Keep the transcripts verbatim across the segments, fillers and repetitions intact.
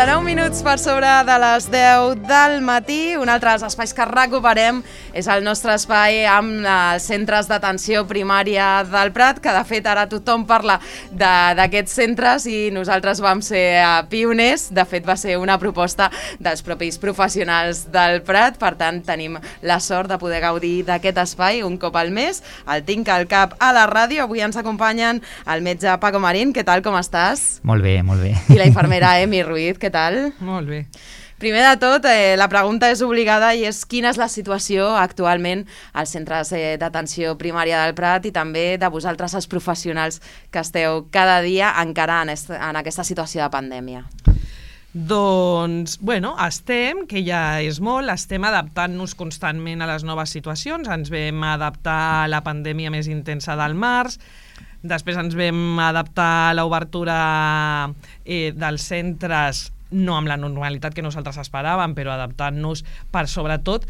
quaranta-nou minuts per sobre de les deu del matí. Un altre dels espais que recuperem és el nostre espai amb els centres d'atenció primària del Prat, que de fet ara tothom parla d'aquests centres i nosaltres vam ser pioners. De fet va ser una proposta dels propis professionals del Prat, per tant tenim la sort de poder gaudir d'aquest espai un cop al mes. El tinc al cap a la ràdio. Avui ens acompanyen el metge Paco Marín. Què tal, com estàs? Molt bé, molt bé. I la infermera Emi Ruiz, què tal? Molt bé. Primer de tot, eh, la pregunta és obligada i és quina és la situació actualment als centres eh, d'atenció primària del Prat i també de vosaltres, els professionals que esteu cada dia encara en, est en aquesta situació de pandèmia. Doncs, bueno, estem, que ja és molt, estem adaptant-nos constantment a les noves situacions. Ens vam adaptar a la pandèmia més intensa del març, després ens vam adaptar a l'obertura eh, dels centres, no amb la normalitat que nosaltres esperàvem, però adaptant-nos per sobretot,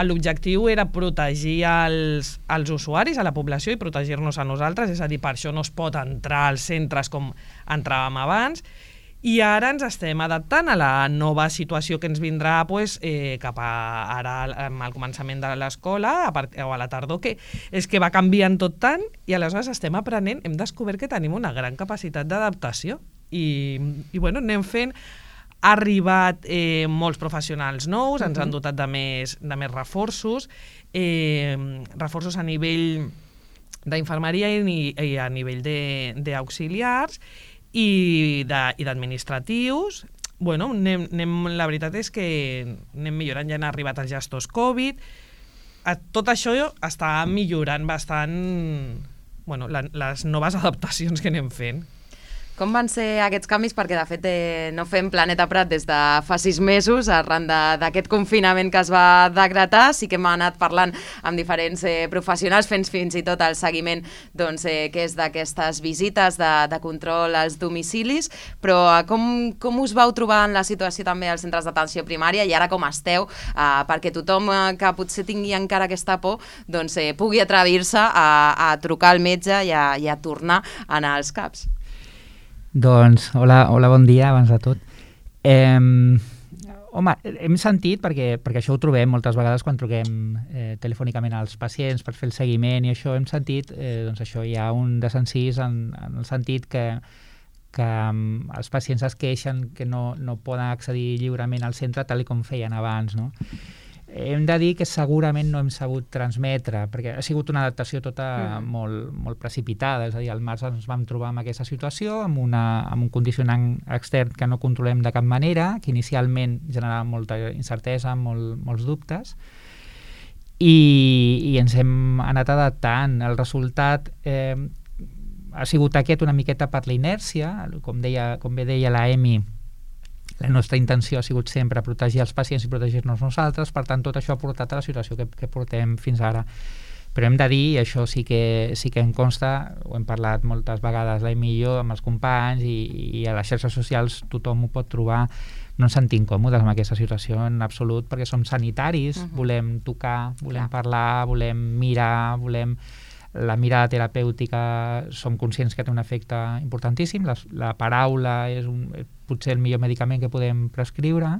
l'objectiu era protegir els, els usuaris, a la població, i protegir-nos a nosaltres, és a dir, per això no es pot entrar als centres com entràvem abans, i ara ens estem adaptant a la nova situació que ens vindrà pues, eh, cap a ara al començament de l'escola o a la tardor, que és que va canviant tot tant i aleshores estem aprenent, hem descobert que tenim una gran capacitat d'adaptació i, i bueno, anem fent. Ha arribat eh, molts professionals nous, ens han dotat de més, de més reforços, eh, reforços a nivell d'infermeria i, i a nivell d'auxiliars i d'administratius. Bueno, anem, anem, la veritat és que anem millorant, ja han arribat els gestors Covid. Tot això està millorant bastant, bueno, la, les noves adaptacions que anem fent. Com van ser aquests canvis? Perquè, de fet, eh, no fem Planeta Prat des de fa sis mesos, arran d'aquest confinament que es va decretar. Sí que hem anat parlant amb diferents eh, professionals, fent fins i tot el seguiment doncs, eh, que és d'aquestes visites de, de control als domicilis. Però eh, com, com us vau trobar en la situació també als centres d'atenció primària i ara com esteu? Eh, perquè tothom eh, que potser tingui encara aquesta por doncs, eh, pugui atrevir-se a, a trucar al metge i a, i a tornar a anar als CAPs. Doncs, hola, hola, bon dia, abans de tot. Eh, home, hem sentit, perquè, perquè això ho trobem moltes vegades quan truquem eh, telefònicament als pacients per fer el seguiment i això, hem sentit, eh, doncs això, hi ha un desencís en, en el sentit que, que um, els pacients es queixen que no, no poden accedir lliurement al centre tal com feien abans, no? Hem de dir que segurament no hem sabut transmetre, perquè ha sigut una adaptació tota mm. molt, molt precipitada, és a dir, al març ens vam trobar en aquesta situació, amb, una, amb un condicionant extern que no controlem de cap manera, que inicialment generava molta incertesa, molt, molts dubtes, i, i ens hem anat adaptant. El resultat eh, ha sigut aquest una miqueta per la inèrcia, com, deia, com bé deia la Emi. La nostra intenció ha sigut sempre protegir els pacients i protegir-nos nosaltres, per tant tot això ha portat a la situació que, que portem fins ara. Però hem de dir, i això sí que, sí que em consta, ho hem parlat moltes vegades l'Emi i jo amb els companys i, i a les xarxes socials tothom ho pot trobar, no ens sentim còmodes amb aquesta situació en absolut perquè som sanitaris, uh-huh. volem tocar, volem Clar. parlar, volem mirar, volem... La mirada terapèutica som conscients que té un efecte importantíssim, la, la paraula és un, potser el millor medicament que podem prescriure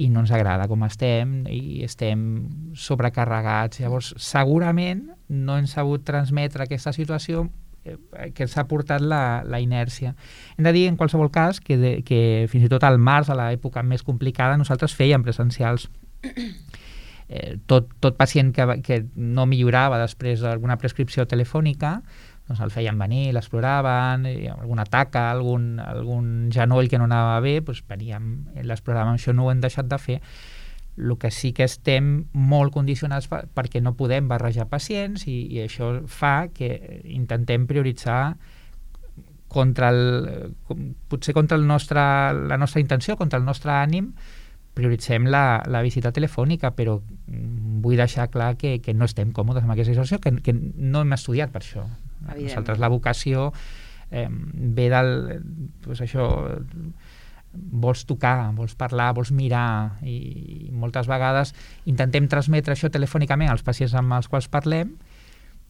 i no ens agrada com estem i estem sobrecarregats. Llavors, segurament no hem sabut transmetre aquesta situació eh, que ens ha portat la, la inèrcia. Hem de dir, en qualsevol cas, que, de, que fins i tot al març, a l'època més complicada, nosaltres fèiem presencials. Eh, tot, tot pacient que, que no millorava després d'alguna prescripció telefònica doncs el feien venir, l'exploraven, alguna taca, algun, algun genoll que no anava bé, doncs veníem, l'exploràvem. Això no ho hem deixat de fer. El que sí que estem molt condicionats perquè no podem barrejar pacients i, i això fa que intentem prioritzar contra el, potser contra el nostre, la nostra intenció, contra el nostre ànim, prioritzem la, la visita telefònica, però vull deixar clar que, que no estem còmodes amb aquesta situació, que, que no hem estudiat per això. Nosaltres la vocació eh, ve del... Pues això, vols tocar, vols parlar, vols mirar, i, i moltes vegades intentem transmetre això telefònicament als pacients amb els quals parlem,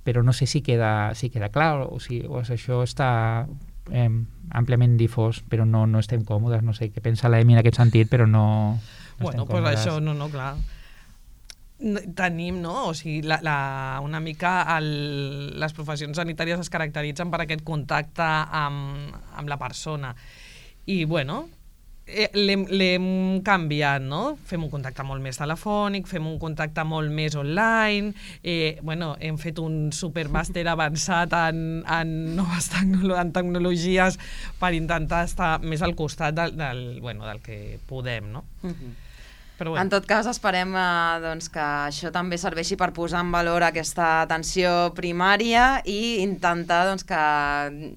però no sé si queda, si queda clar o si o això està eh, àmpliament difós, però no, no estem còmodes. No sé què pensa l'Emi en aquest sentit, però no, no bueno, estem pues còmodes. això, no, no, clar. Tenim, no? O sigui, la, la, una mica el, les professions sanitàries es caracteritzen per aquest contacte amb, amb la persona. I, bueno, eh, l'hem canviat, no? Fem un contacte molt més telefònic, fem un contacte molt més online, eh, bueno, hem fet un supermàster avançat en, en noves tecnolo en tecnologies per intentar estar més al costat del, del, bueno, del que podem, no? Uh-huh. Però bueno. En tot cas, esperem eh, doncs, que això també serveixi per posar en valor aquesta atenció primària i intentar doncs, que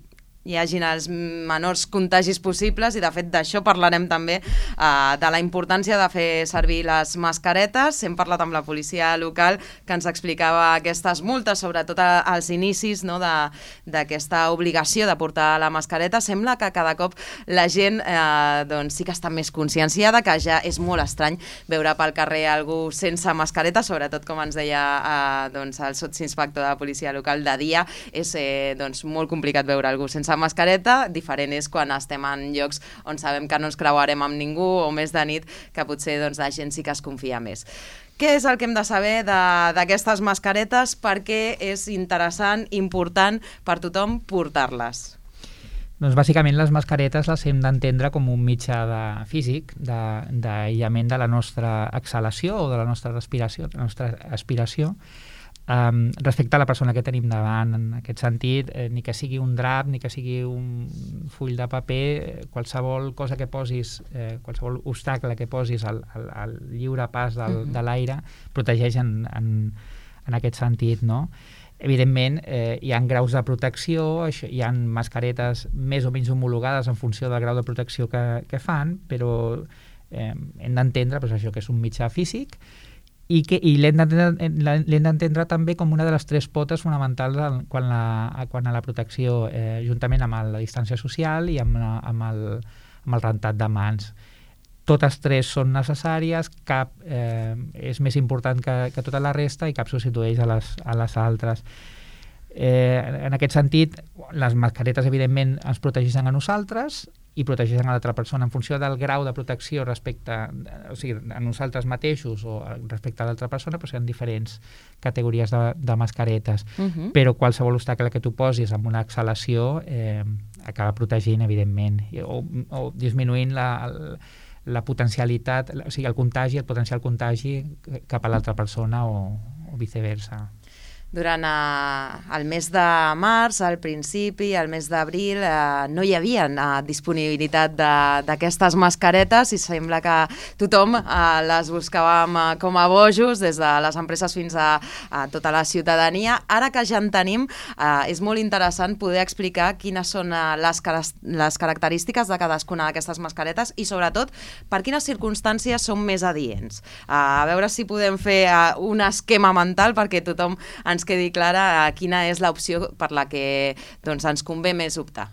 hi hagin els menors contagis possibles i de fet d'això parlarem també eh, de la importància de fer servir les mascaretes. Hem parlat amb la policia local que ens explicava aquestes multes, sobretot als inicis, no, d'aquesta obligació de portar la mascareta. Sembla que cada cop la gent eh, doncs, sí que està més conscienciada, que ja és molt estrany veure pel carrer algú sense mascareta, sobretot com ens deia eh, doncs, el sotsinspector de la policia local, de dia és eh, doncs, molt complicat veure algú sense mascareta. Diferent és quan estem en llocs on sabem que no ens creuarem amb ningú o més de nit, que potser doncs, la gent sí que es confia més. Què és el que hem de saber d'aquestes mascaretes? Per què és interessant, important per tothom portar-les? Doncs bàsicament les mascaretes les hem d'entendre com un mitjà de, físic d'aïllament de, de la nostra exhalació o de la nostra respiració, de la nostra aspiració. Um, respecte a la persona que tenim davant, en aquest sentit, eh, ni que sigui un drap, ni que sigui un full de paper, eh, qualsevol cosa que posis, eh, qualsevol obstacle que posis al, al, al lliure pas del, uh-huh. de l'aire, protegeix en, en, en aquest sentit, no? Evidentment, eh, hi ha graus de protecció, això, hi ha mascaretes més o menys homologades en funció del grau de protecció que, que fan, però eh, hem d'entendre pues, això que és un mitjà físic, i, que, i l'hem d'entendre també com una de les tres potes fonamentals quan, la, quan a la protecció, eh, juntament amb la distància social i amb, la, amb, el, amb el rentat de mans. Totes tres són necessàries, cap eh, és més important que, que tota la resta i cap substitueix a les, a les altres. Eh, en aquest sentit, les mascaretes evidentment ens protegeixen a nosaltres i protegeixen a l'altra persona en funció del grau de protecció respecte, o sigui, a nosaltres mateixos o respecte a l'altra persona, però hi ha diferents categories de, de mascaretes. Uh-huh. Però qualsevol obstacle que tu posis amb una exhalació eh, acaba protegint, evidentment, o, o disminuint la, la potencialitat, o sigui, el contagi, el potencial contagi cap a l'altra persona o, o viceversa. Durant eh, el mes de març, al principi, el mes d'abril, eh, no hi havia eh, disponibilitat d'aquestes mascaretes i sembla que tothom eh, les buscàvem eh, com a bojos, des de les empreses fins a, a tota la ciutadania. Ara que ja en tenim, eh, és molt interessant poder explicar quines són eh, les, les característiques de cadascuna d'aquestes mascaretes i, sobretot, per quines circumstàncies són més adients. Eh, a veure si podem fer eh, un esquema mental perquè tothom ens quedi clara quina és l'opció per la que doncs, ens convé més optar.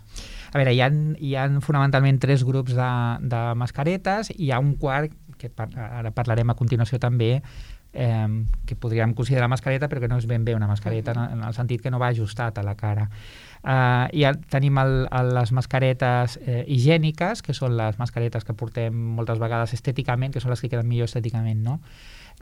A veure, hi ha, hi ha fonamentalment tres grups de, de mascaretes i hi ha un quart, que par ara parlarem a continuació també, eh, que podríem considerar mascareta però que no és ben bé una mascareta, uh-huh. en, en el sentit que no va ajustat a la cara. Uh, i ja tenim el, el, les mascaretes eh, higièniques, que són les mascaretes que portem moltes vegades estèticament, que són les que queden millor estèticament, no?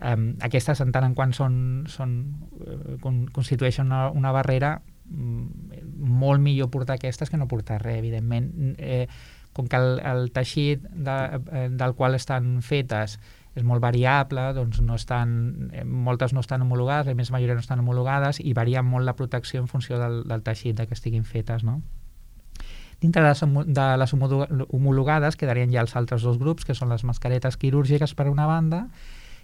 Um, aquestes, en tant en quant són, són, uh, con, constitueixen una, una barrera, um, molt millor portar aquestes que no portar res, evidentment. Eh, com que el, el teixit de, eh, del qual estan fetes és molt variable, doncs no estan, eh, moltes no estan homologades, la més majoria no estan homologades i varia molt la protecció en funció del, del teixit de que estiguin fetes, no? Dintre de les, de les homologades quedarien ja els altres dos grups, que són les mascaretes quirúrgiques per una banda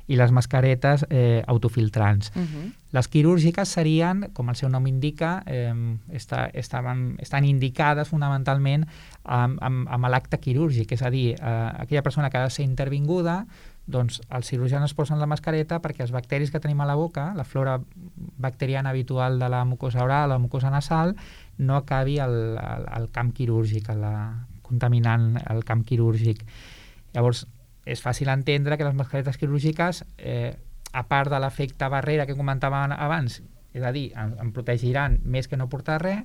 i les mascaretes eh, autofiltrants. Uh-huh. Les quirúrgiques serien, com el seu nom indica, eh, està, estaven, estan indicades fonamentalment amb, amb, amb l'acte quirúrgic, és a dir, eh, aquella persona que ha de ser intervinguda, doncs els cirurgians es posen la mascareta perquè els bacteris que tenim a la boca, la flora bacteriana habitual de la mucosa oral, la mucosa nasal, no acabi al, al, al camp quirúrgic, la, contaminant el camp quirúrgic. Llavors, és fàcil entendre que les mascaretes quirúrgiques, eh, a part de l'efecte barrera que comentàvem abans, és a dir, en, en protegiran més que no portar res,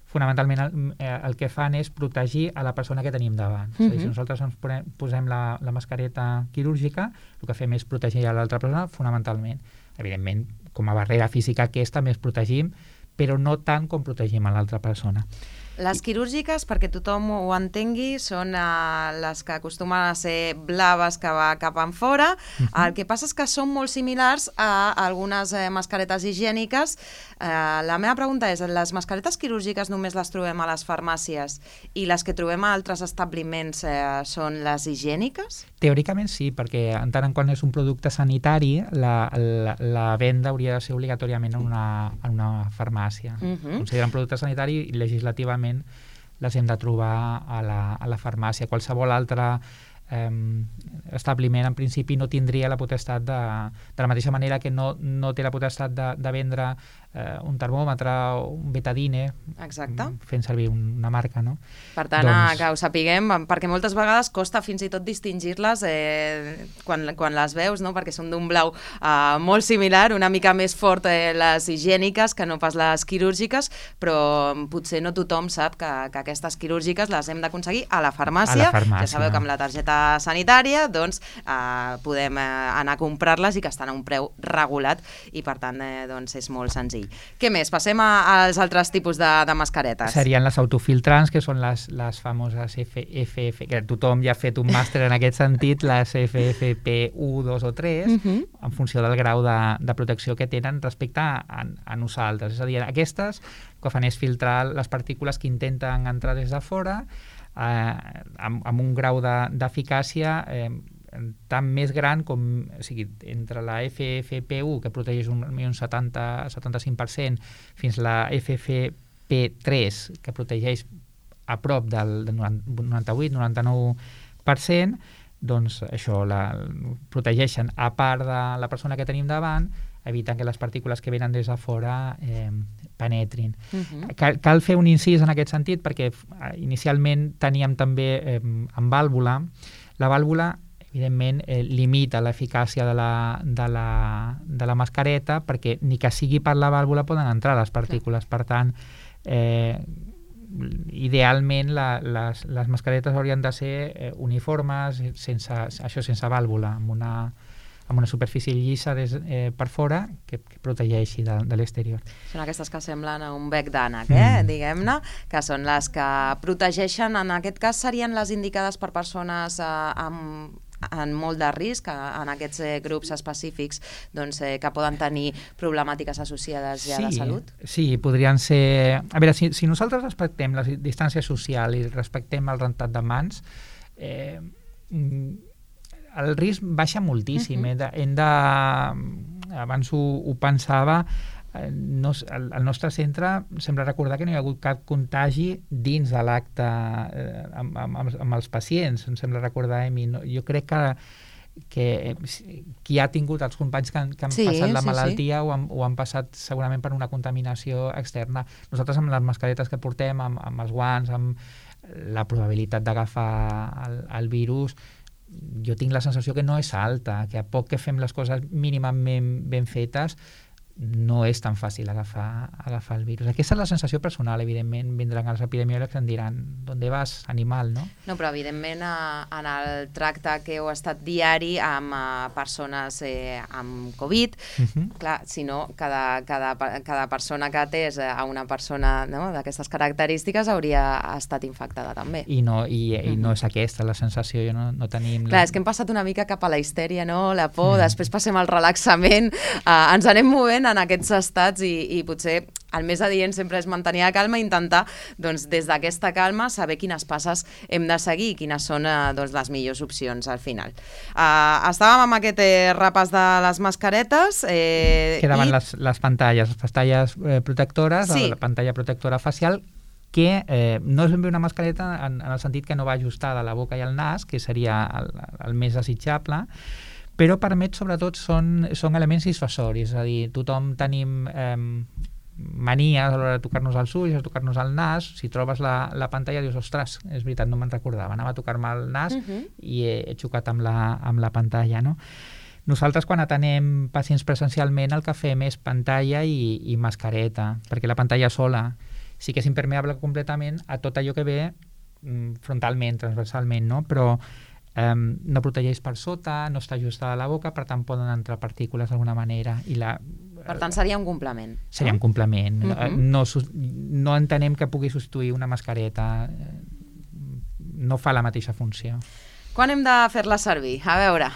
fonamentalment el, el que fan és protegir a la persona que tenim davant. Uh-huh. És a dir, si nosaltres ens posem la, la mascareta quirúrgica, el que fem és protegir a l'altra persona fonamentalment. Evidentment, com a barrera física aquesta més protegim, però no tant com protegim a l'altra persona. Les quirúrgiques, perquè tothom ho entengui, són uh, les que acostumen a ser blaves que va cap en fora. Uh-huh. El que passa és que són molt similars a algunes eh, mascaretes higièniques. Uh, la meva pregunta és, les mascaretes quirúrgiques només les trobem a les farmàcies i les que trobem a altres establiments eh, són les higièniques? Teòricament sí, perquè en tant en quant és un producte sanitari, la, la, la venda hauria de ser obligatòriament en una, en una farmàcia. Uh-huh. Consideren producte sanitari i legislativament les hem de trobar a la, a la farmàcia. Qualsevol altre eh, establiment en principi no tindria la potestat de, de la mateixa manera que no, no té la potestat de, de vendre eh, un termòmetre o un betadine. Exacte. Fent servir una marca, no? Per tant, doncs... que ho sapiguem, perquè moltes vegades costa fins i tot distingir-les eh, quan, quan les veus, no? Perquè són d'un blau eh, molt similar, una mica més fort eh, les higièniques que no pas les quirúrgiques, però potser no tothom sap que, que aquestes quirúrgiques les hem d'aconseguir a la farmàcia. A la farmàcia. Ja sabeu que amb la targeta sanitària doncs, eh, podem eh, anar a comprar-les i que estan a un preu regulat i per tant eh, doncs és molt senzill. Què més? Passem a, als altres tipus de, de mascaretes. Serien les autofiltrants, que són les, les famoses F F F, que tothom ja ha fet un màster en aquest sentit, les F F P u, dos o tres, uh-huh. en funció del grau de, de protecció que tenen respecte a, a nosaltres. És a dir, aquestes el que fan és filtrar les partícules que intenten entrar des de fora eh, amb, amb un grau d'eficàcia de, eh, tant més gran com, o sigui, entre la F F P u, que protegeix un, un setanta a setanta-cinc per cent, fins la F F P tres, que protegeix a prop del, del noranta-vuit a noranta-nou per cent, doncs això, la, protegeixen a part de la persona que tenim davant, eviten que les partícules que venen des de fora eh, penetrin. Uh-huh. Cal, cal fer un incís en aquest sentit, perquè inicialment teníem també eh, en vàlvula. La vàlvula evidentment, eh, limita l'eficàcia de la, de, la, de la mascareta perquè ni que sigui per la vàlvula poden entrar les partícules. Per tant, eh, idealment la, les, les mascaretes haurien de ser eh, uniformes, sense, això sense vàlvula, amb una, amb una superfície llisa des, eh, per fora que, que protegeixi de, de l'exterior. Són aquestes que semblen a un bec d'ànec, eh? mm. diguem-ne, que són les que protegeixen. En aquest cas serien les indicades per persones eh, amb en molt de risc, en aquests eh, grups específics doncs, eh, que poden tenir problemàtiques associades ja sí, de salut? Sí, podrien ser... A veure, si, si nosaltres respectem la distància social i respectem el rentat de mans, eh, el risc baixa moltíssim. Uh-huh. Hem de, hem de, abans ho, ho pensava, no, al, al nostre centre sembla recordar que no hi ha hagut cap contagi dins de l'acte eh, amb, amb, amb els pacients, em sembla recordar, Emi. No, jo crec que, que qui ha tingut els companys que han, que han sí, passat la sí, malaltia sí. Ho, han, ho han passat segurament per una contaminació externa. Nosaltres amb les mascaretes que portem, amb, amb els guants, amb la probabilitat d'agafar el, el virus, jo tinc la sensació que no és alta, que a poc que fem les coses mínimament ben fetes no és tan fàcil agafar, agafar el virus. Aquesta és la sensació personal, evidentment, vindran els epidemiòlegs i em diran ¿dónde vas, animal, no? No, però evidentment en el tracte que heu estat diari amb persones eh, amb Covid, uh-huh. clar, si no, cada, cada, cada persona que atés a una persona no, d'aquestes característiques hauria estat infectada també. I no, i, uh-huh. i no és aquesta la sensació, jo no, no tenim... Clar, la... és que hem passat una mica cap a la histèria, no? La por, uh-huh. després passem al relaxament, uh, ens anem movent en aquests estats i, i potser el més adient sempre és mantenir la calma i intentar doncs, des d'aquesta calma saber quines passes hem de seguir i quines són eh, doncs, les millors opcions al final. Uh, estàvem amb aquest eh, repàs de les mascaretes. Eh, Quedaven i... les, les pantalles, les pantalles eh, protectores, sí. La pantalla protectora facial, que eh, no és ben bé una mascareta en, en el sentit que no va ajustada a la boca i al nas, que seria el, el més desitjable, però permet, sobretot, són, són elements dissuasoris, és a dir, tothom tenim eh, manies a l'hora de tocar-nos els ulls, de tocar-nos el nas. Si trobes la, la pantalla dius, ostres, és veritat, no me'n recordava, anava a tocar-me el nas uh-huh. i he, he xocat amb la, amb la pantalla, no? Nosaltres, quan atenem pacients presencialment, el que fem és pantalla i, i mascareta, perquè la pantalla sola sí que és impermeable completament a tot allò que ve frontalment, transversalment, no? Però um, no protegeix per sota, no està ajustada a la boca, per tant poden entrar partícules d'alguna manera. I la, per tant, seria un complement. Seria un complement. Uh -huh. no, no entenem que pugui substituir una mascareta. No fa la mateixa funció. Quan hem de fer-la servir? A veure...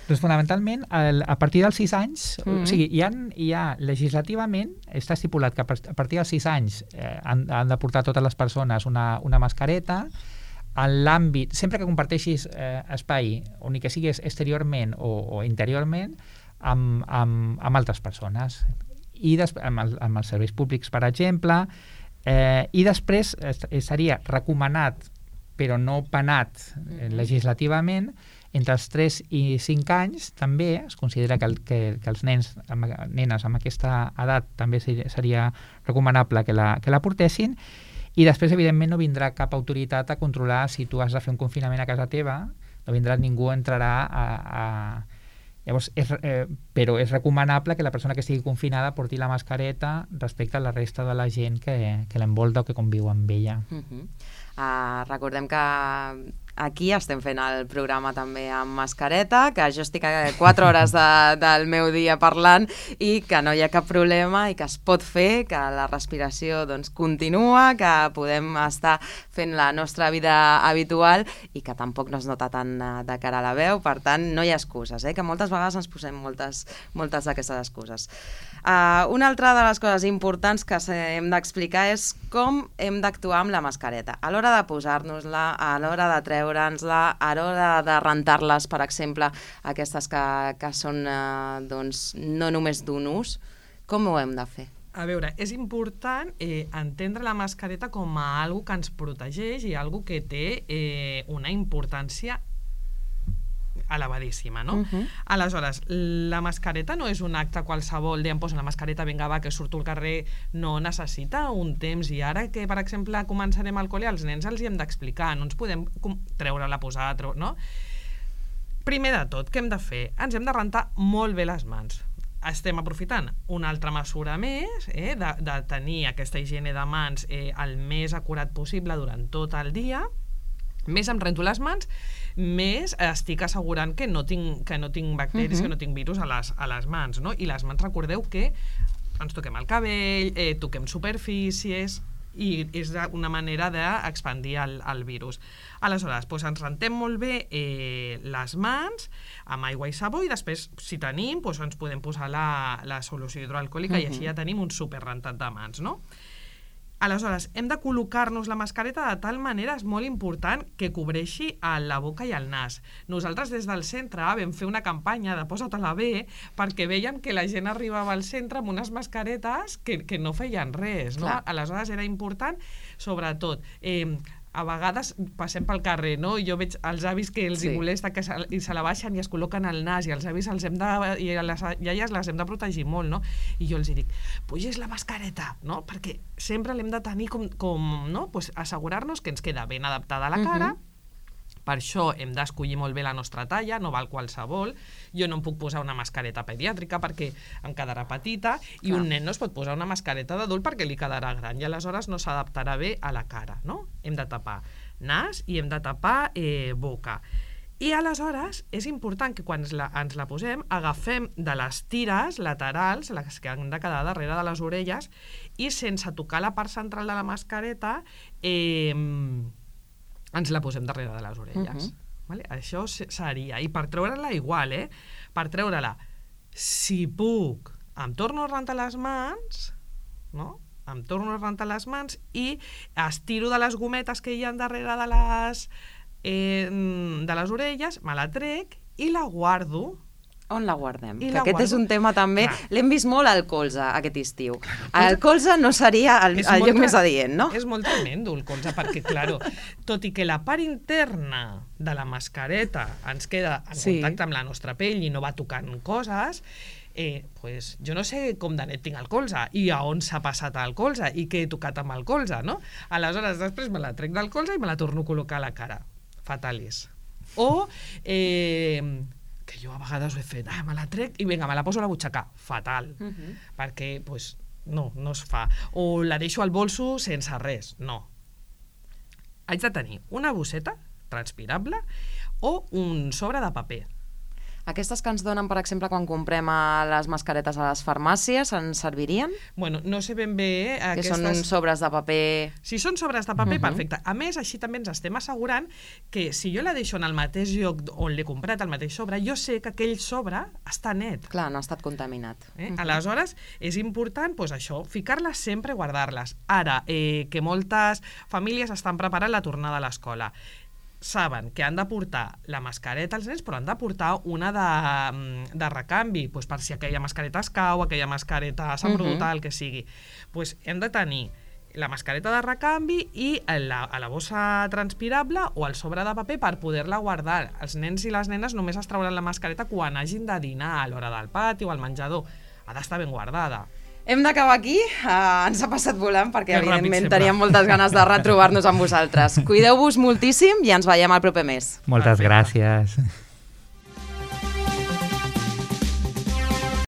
Doncs fonamentalment, a partir dels sis anys, mm-hmm. o sigui, hi ha, hi ha legislativament, està estipulat que a partir dels sis anys eh, han, han de portar totes les persones una, una mascareta. En l'àmbit, sempre que comparteixis eh, espai, o ni que siguis exteriorment o, o interiorment, amb, amb, amb altres persones. I des, amb, el, amb els serveis públics, per exemple, eh, i després eh, seria recomanat, però no penat eh, legislativament, entre els tres i cinc anys també es considera que, el, que, que els nens, amb, nenes amb aquesta edat també seria recomanable que la, que la portessin, i després evidentment no vindrà cap autoritat a controlar si tu has de fer un confinament a casa teva, no vindrà ningú, entrarà a... a... Llavors, és, eh, però és recomanable que la persona que estigui confinada porti la mascareta respecte a la resta de la gent que, que l'envolta o que conviu amb ella. Uh-huh. Uh, recordem que aquí estem fent el programa també amb mascareta, que jo estic quatre hores de, del meu dia parlant i que no hi ha cap problema i que es pot fer, que la respiració doncs, continua, que podem estar fent la nostra vida habitual i que tampoc no es nota tant de cara a la veu, per tant no hi ha excuses, eh? Que moltes vegades ens posem moltes, moltes d'aquestes excuses. Uh, una altra de les coses importants que hem d'explicar és com hem d'actuar amb la mascareta. A l'hora de posar-nos-la, a l'hora de treure-nos-la, a l'hora de rentar-les, per exemple, aquestes que, que són eh, doncs, no només d'un ús, com ho hem de fer? A veure, és important eh, entendre la mascareta com a algo que ens protegeix i algo que té eh, una importància elevadíssima, no? Uh-huh. Aleshores, la mascareta no és un acte qualsevol de em poso la mascareta, vinga, va, que surto al carrer, no, necessita un temps, i ara que, per exemple, començarem al col·le, als nens els hi hem d'explicar, no ens podem treure-la, posar, treure, no? Primer de tot, què hem de fer? Ens hem de rentar molt bé les mans. Estem aprofitant una altra mesura més, eh, de, de tenir aquesta higiene de mans eh, el més acurat possible durant tot el dia. Més em rento les mans, més estic assegurant que no tinc, que no tinc bacteris, uh-huh. que no tinc virus a les, a les mans, no? I les mans, recordeu que ens toquem el cabell, eh, toquem superfícies, i és una manera d'expandir el, el virus. Aleshores, doncs ens rentem molt bé eh, les mans amb aigua i sabó, i després, si tenim, doncs ens podem posar la, la solució hidroalcohòlica, uh-huh. i així ja tenim un superrentat de mans, no? Aleshores, hem de col·locar-nos la mascareta de tal manera, és molt important, que cobreixi la boca i el nas. Nosaltres des del centre vam fer una campanya de posa-te-la bé, perquè veiem que la gent arribava al centre amb unes mascaretes que, que no feien res, no? Aleshores era important, sobretot, eh, a vegades passem pel carrer, no? I jo veig els avis que els sí. hi molesta que se, i se la baixen i es col·loquen al nas, i els avis els hem de, i les iaies les hem de protegir molt, no? I jo els hi dic, puges la mascareta, no? Perquè sempre l'hem de tenir com, com no? Pues assegurar-nos que ens queda ben adaptada a la cara. Uh-huh. Per això hem d'escollir molt bé la nostra talla, no val qualsevol. Jo no em puc posar una mascareta pediàtrica perquè em quedarà petita, i Clar. Un nen no es pot posar una mascareta d'adult perquè li quedarà gran, i aleshores no s'adaptarà bé a la cara, no? Hem de tapar nas i hem de tapar eh, boca. I aleshores és important que quan la, ens la posem agafem de les tires laterals, les que han de quedar darrere de les orelles, i sense tocar la part central de la mascareta eh, ens la posem darrere de les orelles. Uh-huh. Vale? Això seria. I per treure-la igual, eh? Per treure-la, si puc, em torno a rentar les mans, no? Em torno a rentar les mans i estiro de les gometes que hi ha darrere de les, eh, de les orelles, me la trec i la guardo. On la guardem? I que la aquest guardo. És un tema també... Clar. L'hem vist molt al colze aquest estiu. El colze no seria el, el lloc més adient, no? És molt tremendo el colze, perquè, claro, tot i que la part interna de la mascareta ens queda en sí. contacte amb la nostra pell i no va tocant coses, eh, pues, jo no sé com de net tinc el colze i a on s'ha passat el colze i què he tocat amb el colze, no? Aleshores, després me la trec del colze i me la torno a col·locar a la cara. Fatalis. O... Eh, que jo a vegades ho he fet, ah, me la trec i vinga, me la poso a la butxaca. Fatal. Uh-huh. Perquè, pues, no, no es fa. O la deixo al bolso sense res, no. Haig de tenir una bosseta transpirable o un sobre de paper. Aquestes que ens donen, per exemple, quan comprem a les mascaretes a les farmàcies, ens servirien? Bueno, no sé ben bé... Que aquestes... són uns sobres de paper... Si són sobres de paper, Uh-huh. perfecte. A més, així també ens estem assegurant que si jo la deixo en el mateix lloc on l'he comprat, el mateix sobre, jo sé que aquell sobre està net. Clar, no ha estat contaminat. Eh? Uh-huh. Aleshores, és important doncs, això, ficar-les sempre i guardar-les. Ara, eh, que moltes famílies estan preparant la tornada a l'escola, saben que han de portar la mascareta als nens, però han de portar una de, de recanvi, doncs per si aquella mascareta es cau, aquella mascareta s'embruta, uh-huh. el que sigui. Doncs hem de tenir la mascareta de recanvi i la, a la bossa transpirable o el sobre de paper per poder-la guardar. Els nens i les nenes només es trauran la mascareta quan hagin de dinar a l'hora del pati o al menjador. Ha d'estar ben guardada. Hem d'acabar aquí, uh, ens ha passat volant perquè És ràpid evidentment sempre. teníem moltes ganes de retrobar-nos amb vosaltres. Cuideu-vos moltíssim i ens veiem el proper mes. Moltes Perfecte. gràcies.